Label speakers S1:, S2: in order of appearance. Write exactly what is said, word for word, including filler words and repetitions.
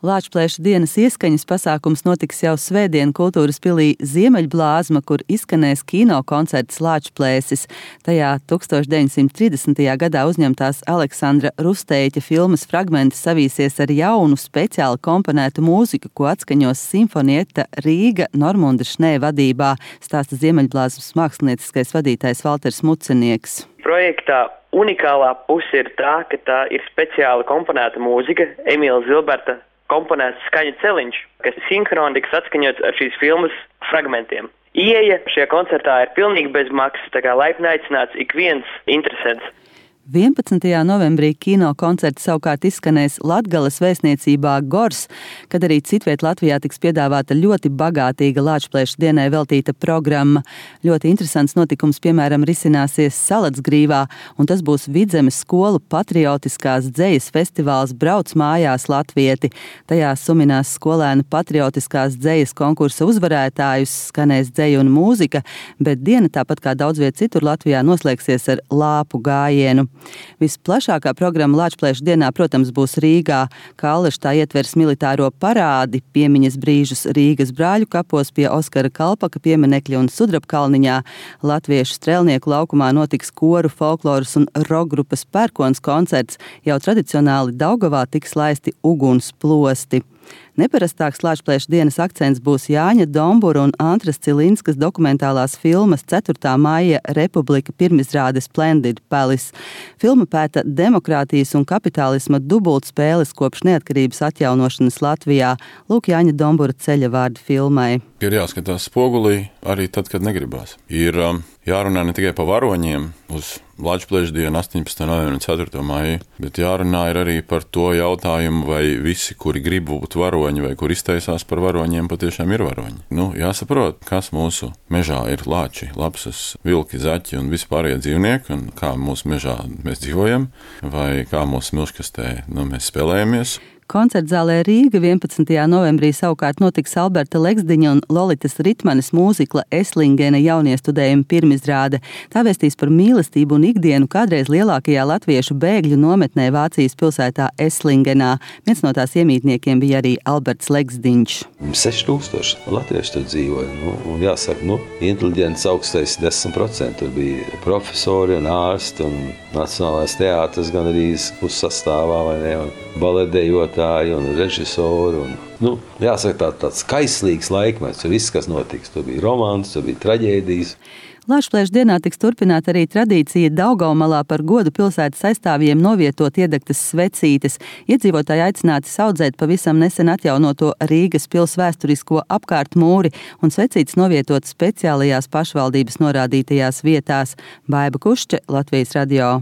S1: Lāčplēša dienas ieskaņas pasākums notiks jau svētdien Kultūras pilī Ziemeļblāzma, kur izskanēs kino koncerts Lāčplēsis. Tajā tūkstoš deviņsimt trīsdesmitajā gadā uzņemtās Aleksandra Rusteiķa filmas fragmenti savīsies ar jaunu, speciāli komponētu mūziku, ko atskaņos simfonieta Rīga Normunda Šnē vadībā, stāsta Ziemeļblāzmas mākslinieckais vadītājs Valters Mucenieks.
S2: Projektā unikālā puse ir tā, ka tā ir speciāli komponēta mūzika, Emīla Zilberta komponēts skaņu celiņš, kas sinhroni tiks atskaņots ar šīs filmas fragmentiem. Ieeja šajā koncertā ir pilnīgi bez maksas, tā kā laipni aicināts ik viens interesants.
S1: vienpadsmitajā novembrī kino koncerts savukārt izskanēs Latgales vēstniecībā Gors, kad arī citviet Latvijā tiks piedāvāta ļoti bagātīga Lāčplēša dienai veltīta programma. Ļoti interesants notikums, piemēram, risināsies Salatsgrīvā, un tas būs Vidzemes skolu patriotiskās dzejas festivāls Brauc mājās latvieti. Tajā suminās skolēnu patriotiskās dzejas konkursa uzvarētājus, skanēs dzeja un mūzika, bet diena, tāpat kā daudz viet citur Latvijā, noslēgsies ar lāpu gājienu. Visplašākā programma Lāčplēša dienā, protams, būs Rīgā. Kalleša tā ietvers militāro parādi, piemiņas brīžus Rīgas brāļu kapos pie Oskara Kalpaka pieminekļa un Sudrabkalniņā. Latviešu strēlnieku laukumā notiks koru, folkloras un rokgrupas Pērkons koncerts. Jau tradicionāli Daugavā tiks laisti uguns plosti. Neparastāks Lāčplēša dienas akcents būs Jāņa Dombura un Antras Cilinskas dokumentālās filmas ceturtā maija Republika pirmizrāde Splendid Palace. Filma pēta demokrātijas un kapitālisma dubultspēles kopš neatkarības atjaunošanas Latvijā. Lūk Jāņa Dombura ceļa vārdi filmai.
S3: Ir jāskatās spogulī arī tad, kad negribās. Ir um, jārunā ne tikai par varoņiem uz Lāčplēša dienu astoņpadsmitā novembrī un ceturtā maija, bet jārunā ir arī par to jautājumu, vai visi, kuri grib būt varoņi vai kur iztaisās par varoņiem, patiešām ir varoņi. Nu, jāsaprot, kas mūsu mežā ir lāči, lapsas, vilki, zaķi un vispārējie dzīvnieki, un kā mūsu mežā mēs dzīvojam, vai kā mūsu milškastē nu, mēs spēlējamies.
S1: Koncertzālē Rīga vienpadsmitajā novembrī savukārt notiks Alberta Leksdiņa un Lolitas Ritmanes mūzikla Eslingena jauniestudējuma pirmizrāde. Tā vēstīs par mīlestību un ikdienu kādreiz lielākajā latviešu bēgļu nometnē Vācijas pilsētā Eslingenā. Viens no tās iemītniekiem bija arī Alberts Leksdiņš.
S4: seši tūkstoši latvieši tur dzīvoja. Nu, un jāsaka, nu, inteliģents augstais desmit procenti. Tur bija profesori un ārsti un Nacionālais teātris gan arī pussastāvā, vai ne, un baletdejotāji un režisori. Un, nu, jāsaka, tā, tāds kaislīgs laikmets, tur viss, kas notiks. Tur bija romāns, tur bija traģēdijas.
S1: Lāčplēša dienā tiks turpināta arī tradīcija Daugavmalā par godu pilsētas aizstāvjiem novietot iedegtas svecītes. Iedzīvotāji aicināti saudzēt pavisam nesen atjaunoto Rīgas pils vēsturisko apkārtmūri un svecītes novietot speciālajās pašvaldības norādītajās vietās. Baiba Kušče, Latvijas radio.